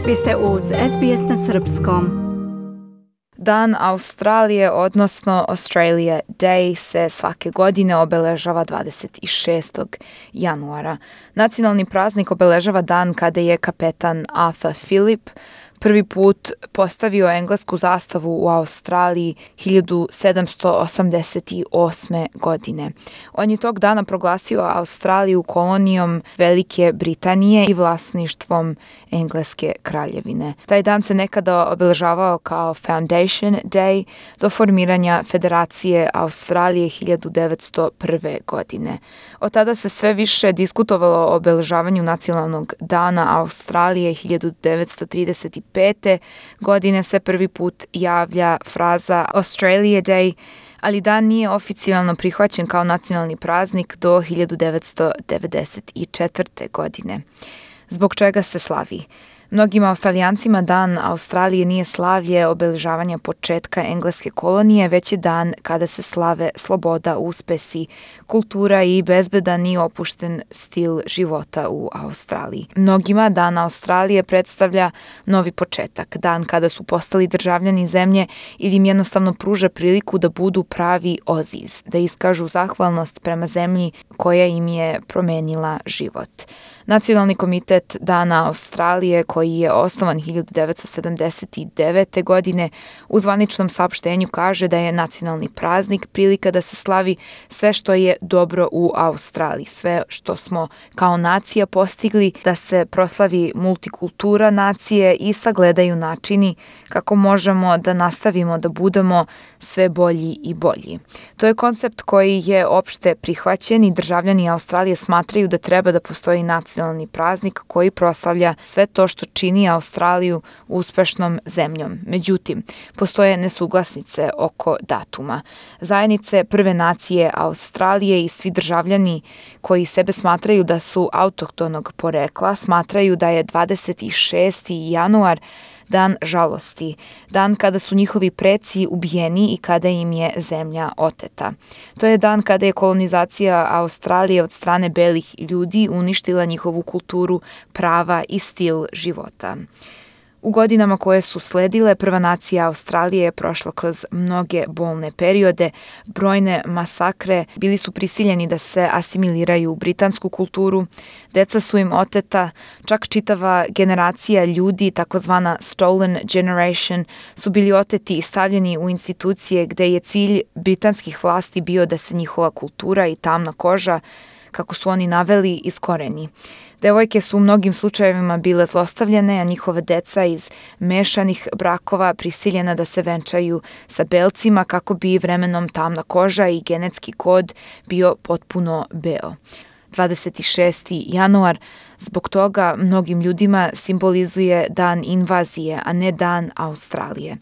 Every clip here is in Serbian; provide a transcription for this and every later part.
Vi ste uz SBS na srpskom. Dan Australije, odnosno Australia Day, se svake godine obeležava 26. januara. Nacionalni praznik obeležava dan kada je kapetan Arthur Phillip prvi put postavio englesku zastavu u Australiji 1788. godine. On je tog dana proglasio Australiju kolonijom Velike Britanije i vlasništvom Engleske kraljevine. Taj dan se nekada obeležavao kao Foundation Day do formiranja Federacije Australije 1901. godine. Od tada se sve više diskutovalo o obeležavanju nacionalnog dana Australije 1935. godine se prvi put javlja fraza Australia Day, ali dan nije oficijalno prihvaćen kao nacionalni praznik do 1994. godine. Zbog čega se slavi? Mnogim Australijancima dan Australije nije slavlje obeležavanja početka engleske kolonije, već je dan kada se slave sloboda, uspesi, kultura i bezbedan i opušten stil života u Australiji. Mnogima dan Australije predstavlja novi početak, dan kada su postali državljani zemlje ili im jednostavno pruža priliku da budu pravi Aussies, da iskažu zahvalnost prema zemlji koja im je promenila život. Nacionalni komitet Dana Australije, koji je osnovan 1979. godine, u zvaničnom saopštenju kaže da je nacionalni praznik prilika da se slavi sve što je dobro u Australiji, sve što smo kao nacija postigli, da se proslavi multikultura nacije i sagledaju načini kako možemo da nastavimo da budemo sve bolji i bolji. To je koncept koji je opšte prihvaćen i državljani Australije smatraju da treba da postoji nacionalni praznik koji proslavlja sve to što čini Australiju uspešnom zemljom. Međutim, postoje nesuglasnice oko datuma. Zajednice Prve nacije Australije i svi državljani koji sebe smatraju da su autohtonog porekla smatraju da je 26. januar dan žalosti, dan kada su njihovi preci ubijeni i kada im je zemlja oteta. To je dan kada je kolonizacija Australije od strane belih ljudi uništila njihovu kulturu, prava i stil života. U godinama koje su sledile, Prva nacija Australije je prošla kroz mnoge bolne periode, brojne masakre, bili su prisiljeni da se asimiliraju u britansku kulturu, deca su im oteta, čak čitava generacija ljudi, takozvana stolen generation, su bili oteti i stavljeni u institucije gde je cilj britanskih vlasti bio da se njihova kultura i tamna koža, kako su oni naveli, iskoreni. Devojke su u mnogim slučajevima bile zlostavljane, a njihove deca iz mešanih brakova prisiljena da se venčaju sa belcima kako bi vremenom tamna koža i genetski kod bio potpuno beo. 26. januar zbog toga mnogim ljudima simbolizuje dan invazije, a ne dan Australije.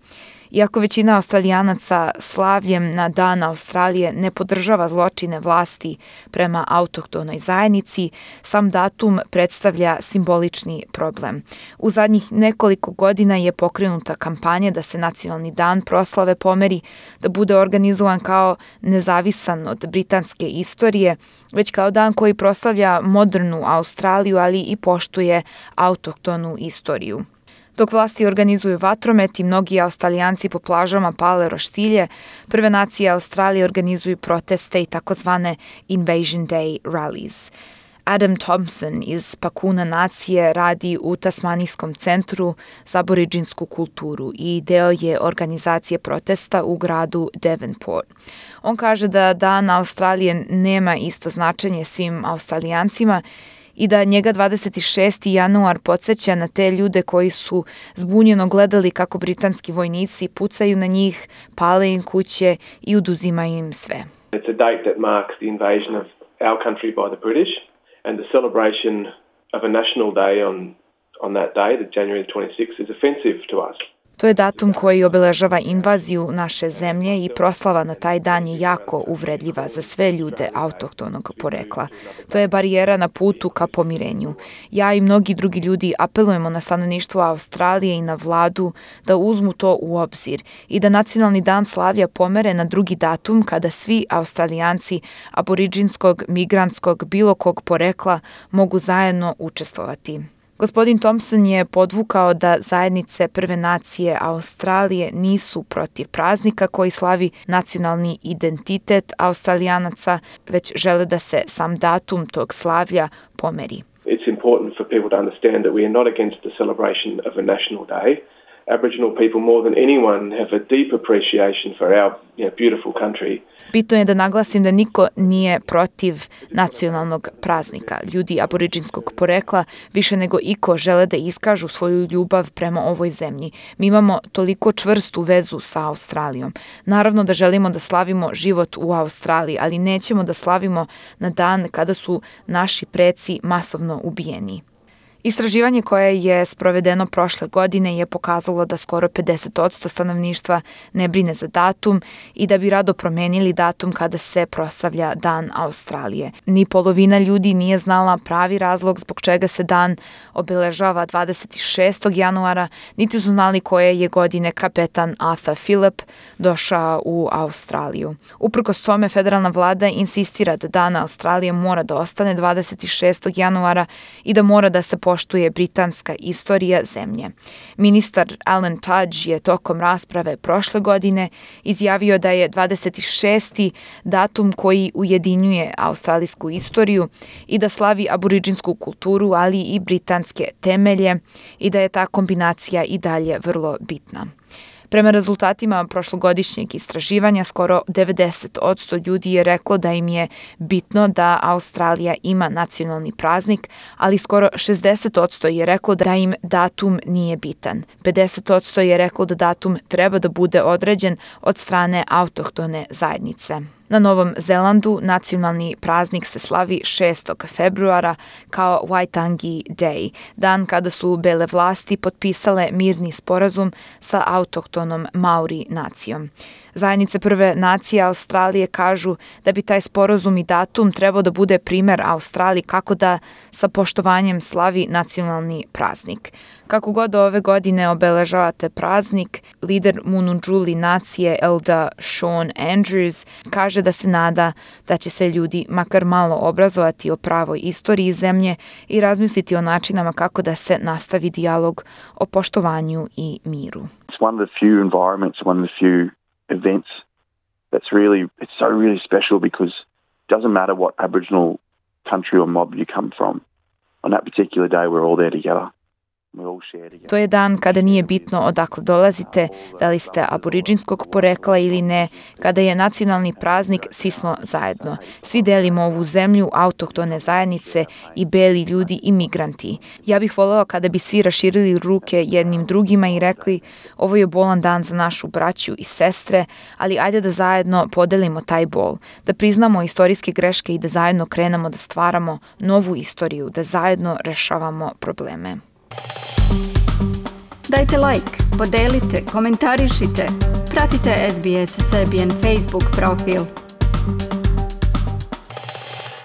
Iako većina Australijanaca slavljem na dan Australije ne podržava zločine vlasti prema autohtonoj zajednici, sam datum predstavlja simbolični problem. U zadnjih nekoliko godina je pokrenuta kampanja da se nacionalni dan proslave pomeri, da bude organizovan kao nezavisan od britanske istorije, već kao dan koji proslavlja modernu Australiju, ali i poštuje autohtonu istoriju. Dok vlasti organizuju vatromet i mnogi Australijanci po plažama pale roštilje, Prve nacije Australije organizuju proteste i takozvane Invasion Day rallies. Adam Thompson iz Pakuna nacije radi u Tasmanijskom centru za aboridžinsku kulturu i deo je organizacije protesta u gradu Devonport. On kaže da Dan Australije nema isto značenje svim Australijancima i da njega 26. januar podsjeća na te ljude koji su zbunjeno gledali kako britanski vojnici pucaju na njih, pale im kuće i oduzimaju im sve. It's a date that marks the invasion of our country by the British and the celebration of a national day on that day, the January 26th, is offensive to us. To je datum koji obeležava invaziju naše zemlje i proslava na taj dan je jako uvredljiva za sve ljude autohtonog porekla. To je barijera na putu ka pomirenju. Ja i mnogi drugi ljudi apelujemo na stanovništvo Australije i na vladu da uzmu to u obzir i da nacionalni dan slavlja pomere na drugi datum kada svi Australijanci aboridžinskog, migrantskog, bilo kog porekla mogu zajedno učestvovati. Gospodin Thompson je podvukao da zajednice Prve nacije Australije nisu protiv praznika koji slavi nacionalni identitet Australijanaca, već žele da se sam datum tog slavlja pomeri. It's important for people to understand that we are not against the celebration of a national day. Aboriginal people more than anyone have a deep appreciation for our beautiful country. Bitno je da naglasim da niko nije protiv nacionalnog praznika. Ljudi aboriđinskog porekla više nego iko žele da iskažu svoju ljubav prema ovoj zemlji. Mi imamo toliko čvrstu vezu sa Australijom. Naravno da želimo da slavimo život u Australiji, ali nećemo da slavimo na dan kada su naši preci masovno ubijeni. Istraživanje koje je sprovedeno prošle godine je pokazalo da skoro 50% stanovništva ne brine za datum i da bi rado promenili datum kada se proslavlja Dan Australije. Ni polovina ljudi nije znala pravi razlog zbog čega se dan obeležava 26. januara, niti su znali koje je godine kapetan Arthur Phillip došao u Australiju. Uprkos tome, federalna vlada insistira da Dan Australije mora da ostane 26. januara i da mora da se poštuje britanska istorija zemlje. Ministar Alan Tudge je tokom rasprave prošle godine izjavio da je 26. datum koji ujedinjuje australijsku istoriju i da slavi aboriđinsku kulturu, ali i britanske temelje i da je ta kombinacija i dalje vrlo bitna. Prema rezultatima prošlogodišnjeg istraživanja, skoro 90% ljudi je reklo da im je bitno da Australija ima nacionalni praznik, ali skoro 60% je reklo da im datum nije bitan. 50% je reklo da datum treba da bude određen od strane autohtone zajednice. Na Novom Zelandu nacionalni praznik se slavi 6. februara kao Waitangi Day, dan kada su bele vlasti potpisale mirni sporazum sa autohtonom Maori nacijom. Zajednice Prve nacije Australije kažu da bi taj sporazum i datum trebao da bude primer Australiji kako da sa poštovanjem slavi nacionalni praznik. Kako god ove godine obeležavate praznik, lider Munundžuli nacije Elder Sean Andrews kaže da se nada da će se ljudi makar malo obrazovati o pravoj istoriji zemlje i razmisliti o načinama kako da se nastavi dijalog o poštovanju i miru. It's one of the few environments, one of the few events it's so really special because it doesn't matter what Aboriginal country or mob you come from. On that particular day we're all there together. To je dan kada nije bitno odakle dolazite, da li ste aboriđinskog porekla ili ne, kada je nacionalni praznik, svi smo zajedno. Svi delimo ovu zemlju, autohtone zajednice i beli ljudi i migranti. Ja bih voljela kada bi svi raširili ruke jednim drugima i rekli ovo je bolan dan za našu braću i sestre, ali ajde da zajedno podelimo taj bol, da priznamo istorijske greške i da zajedno krenemo da stvaramo novu istoriju, da zajedno rešavamo probleme. Dajte like, podelite, komentarišite, pratite SBS Serbian Facebook profil.